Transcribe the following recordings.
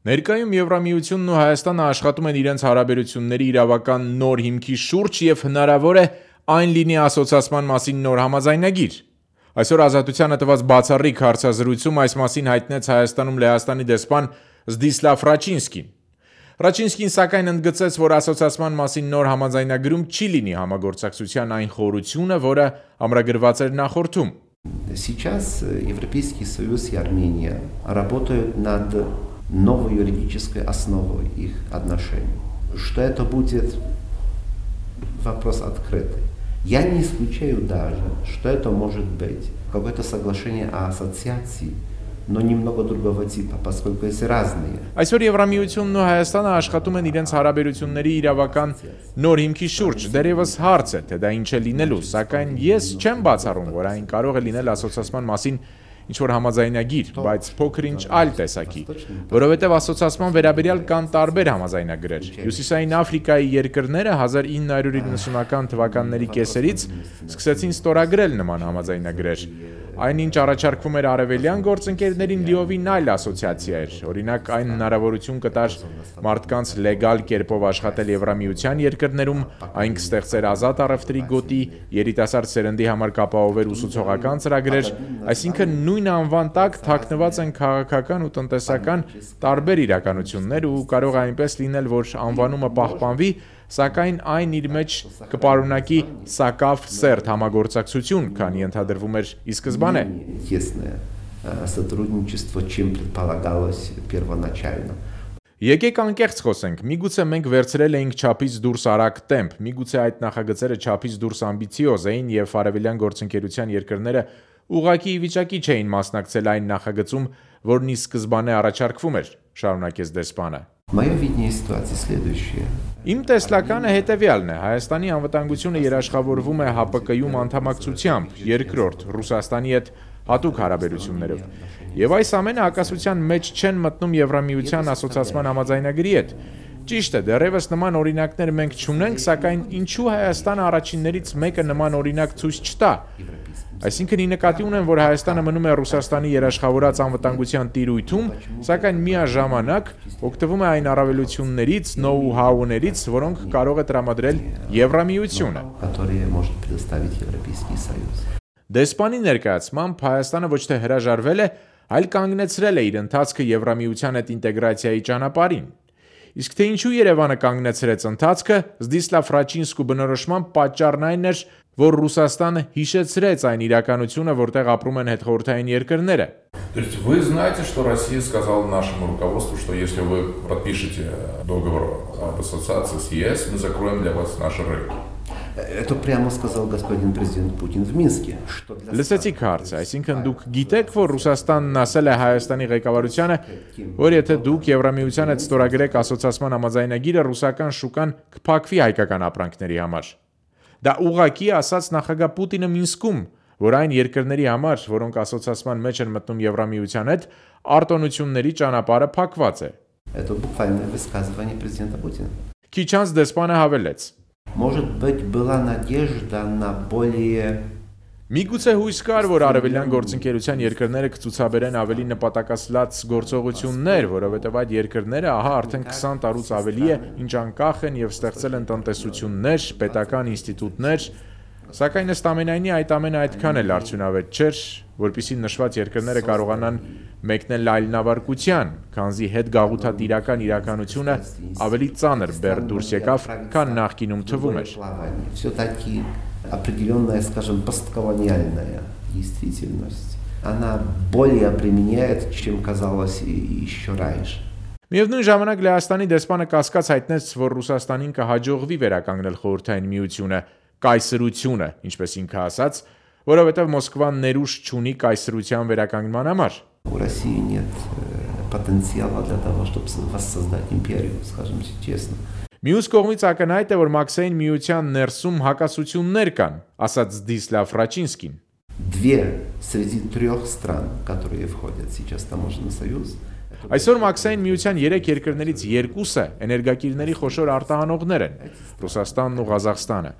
Ներկայում Եվրամիությունն ու Հայաստանը աշխատում են իրենց հարաբերությունների իրավական նոր հիմքի շուրջ և հնարավոր է այն լինի ասոցացման մասին նոր համաձայնագիր։ Այսօր Ազատությանը տված բացառիկ հարցազրույցում այս մասին հայտնեց Հայաստանում Լեհաստանի դեսպան Զդիսլավ Ռաչինսկին։ Ռաչինսկին սակայն ընդգծեց, որ ասոցացման մասին նոր համաձայնագրում չի լինի համագործակցության այն խորությունը, որը ամրագրված էր նախորդում։ Сейчас Европейский Союз и Армения работают над новой юридической основой их отношений. Что это будет вопрос открытый. Я не исключаю даже, что это может быть какое-то соглашение о ассоциации, но немного другого типа, поскольку есть разные. Այսօր Եվրամիությունն ու Հայաստանը աշխատում են իրենց հարաբերությունների իրավական նոր հիմքի շուրջ։ Դեռևս հարց է, թե դա ինչ է լինելու, սակայն ես չեմ բացառում, որ այն կարող է լինել ասոցացման մասին ինչ-որ համաձայնագիր, բայց փոքր-ինչ այլ տեսակի, որովհետև ասոցացման վերաբերյալ կան տարբեր համաձայնագրեր։ Հյուսիսային Աֆրիկայի երկրները 1990-ական թվականների կեսերից սկսեցին ստորագրել նման համաձայնագրեր։ Այնինչ առաջարկվում էր արևելյան գործընկերներին լիովին այլ ասոցիացիա էր, օրինակ այն հնարավորություն կտար մարդկանց լեգալ կերպով աշխատել Եվրամիության երկրներում, այն կստեղծեր ազատ առևտրի գոտի, երիտասարդ սերնդի համար կապահովեր ուսուցողական ծրագրեր, այսինքն նույն անվան տակ թաքնված են քաղաքական ու տնտեսական տարբեր իրականություններ ու կարող է այնպես լինել, որ անվանումը պահպանվի, սակայն այն իր մեջ կպարունակի սակավ սերտ համագործակցություն, քան ենթադրվում էր ի սկզբանե։ Եկեք անկեղծ խոսենք, միգուցե մենք վերցրել էինք չափից դուրս արագ տեմպ, միգուցե այդ նախագծերը չափից դուրս ամբիցիոզ էին և արևելյան գործընկերության երկրները ուղղակի ի վիճակի չէին մասնակցել այն նախագծում, որն ի սկզբանե առաջարկվում էր, շարունակեց դեսպանը։ Իմ տեսլականը հետևյալն է, Հայաստանի անվտանգությունը երաշխավորվում է ՀԱՊԿ-ում անդամակցությամբ, երկրորդ Ռուսաստանի հետ հատուկ հարաբերություններով, և այս ամենը հակասության մեջ չեն մտնում Եվրամիության ասոցացման համաձայնագրի հետ։ Ճիշտ է, դեռևս նման օրինակներ մենք չունենք, սակայն ինչու Հայաստանը առաջիններից մեկը նման օրինակ ցույց չտա։ Այսինքն ի նկատի ունեմ, որ Հայաստանը մնում է Ռուսաստանի երաշխավորած անվտանգության տիրույթում, սակայն միաժամանակ օգտվում է այն առավելություններից, նոու-հաուներից, որոնք կարող է տրամադրել Եվրամիությունը։ Դեսպանի ներկայացմամբ Հայաստանը ոչ թե հրաժարվել է, այլ կանգնեցրել է իր ընթացքը Եվրամիության հետ ինտեգրացիայի ճանապարհին։ Իսկ թե ինչու Երևանը կանգնեցրեց ընթացքը, Զդիսլավ Ռաչինսկու բնորոշմամբ պատճառն այն էր, որ Ռուսաստանը հիշեցրեց այն իրականությունը, որտեղ ապրում են հետխորհրդային երկրները։ То есть вы знаете, что Россия сказала нашему руководству, что если вы подпишете договор об ассоциации с ЕС, мы закроем для вас наши рынки. Это прямо сказал господин президент Путин в Минске. Լսեցիք հարցը, այսինքն դուք գիտեք, որ Ռուսաստանն ասել է Հայաստանի ղեկավարությանը, որ եթե դուք Եվրամիության հետ ստորագրեք ասոցացման համաձայնագիրը, ռուսական շուկան կփակվի հայկական ապրանքների համար։ Դա ուղղակի ասաց նախագահ Պուտինը Մինսկում, որ այն երկրների համար, որոնք ասոցացման մեջ են մտնում Եվրամիության հետ, արտոնությունների ճանապարհը փակված է։ Это буквальное высказывание президента Путина. Քիչ անց դեսպանը հավելեց. Может быть, была надежда на более Միգուցե հույս կար, որ արևելյան գործընկերության երկրները կցուցաբերեն ավելի նպատակասլաց գործողություններ, որովհետև այդ երկրները ահա արդեն 20 տարուց ավելի է, ինչ անկախ են և ստեղծել են տնտեսություններ, պետական ինստիտուտներ, սակայն ըստ ամենայնի այդ ամենը այդքան էլ արդյունավետ չէր, որպեսզի նշված երկրները կարողանան մեկնել այլնավարկության, քանզի հետգաղութատիրական իրականությունը ավելի ծանր բեռ դուրս եկավ, քան նախկինում թվում էր։ Определенная, скажем, постколониальная действительность. Она более обременяет, чем казалось еще раньше. Միևնույն ժամանակ Լեհաստանի դեսպանը կասկած հայտնեց, որ Ռուսաստանին կհաջողվի վերականգնել խորհրդային միությունը, կայսրությունը, ինչպես ինքը ասաց, որովհետև Մոսկվան ներուժ չունի կայսրության վերականգնման համար։ У России нет потенциала для того, чтобы воссоздать империю, скажем честно. Մյուս կողմից ակնհայտ է, որ Մաքսային միության ներսում հակասություններ կան, ասաց Զդիսլավ Ռաչինսկին։ Две среди трех стран, которые входят сейчас в таможенный союз. Այսօր Մաքսային միության 3 երկրներից երկուսը էներգակիրների խոշոր արտահանողներ են՝ Ռուսաստանն ու Ղազախստանը։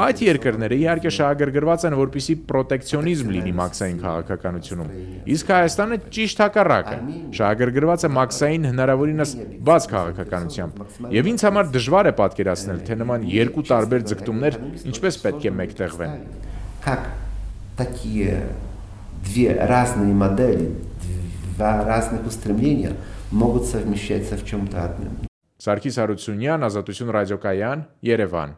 Այդ երկրները իհարկե շահագրգռված են, որպեսզի պրոտեկցիոնիզմ լինի մաքսային քաղաքականությունում, իսկ Հայաստանը ճիշտ հակառակը, շահագրգռված է մաքսային հնարավորինս բաց քաղաքականությամբ, եւ ինձ համար դժվար է պատկերացնել, թե նման երկու տարբեր ձգտումներ ինչպես պետք է մեկտեղվեն։ Как такие две разные модели, два разных устремления могут совмещаться в чем-то одном. Սարգիս Հարությունյան, Ազատություն ռադիոկայան, Երևան։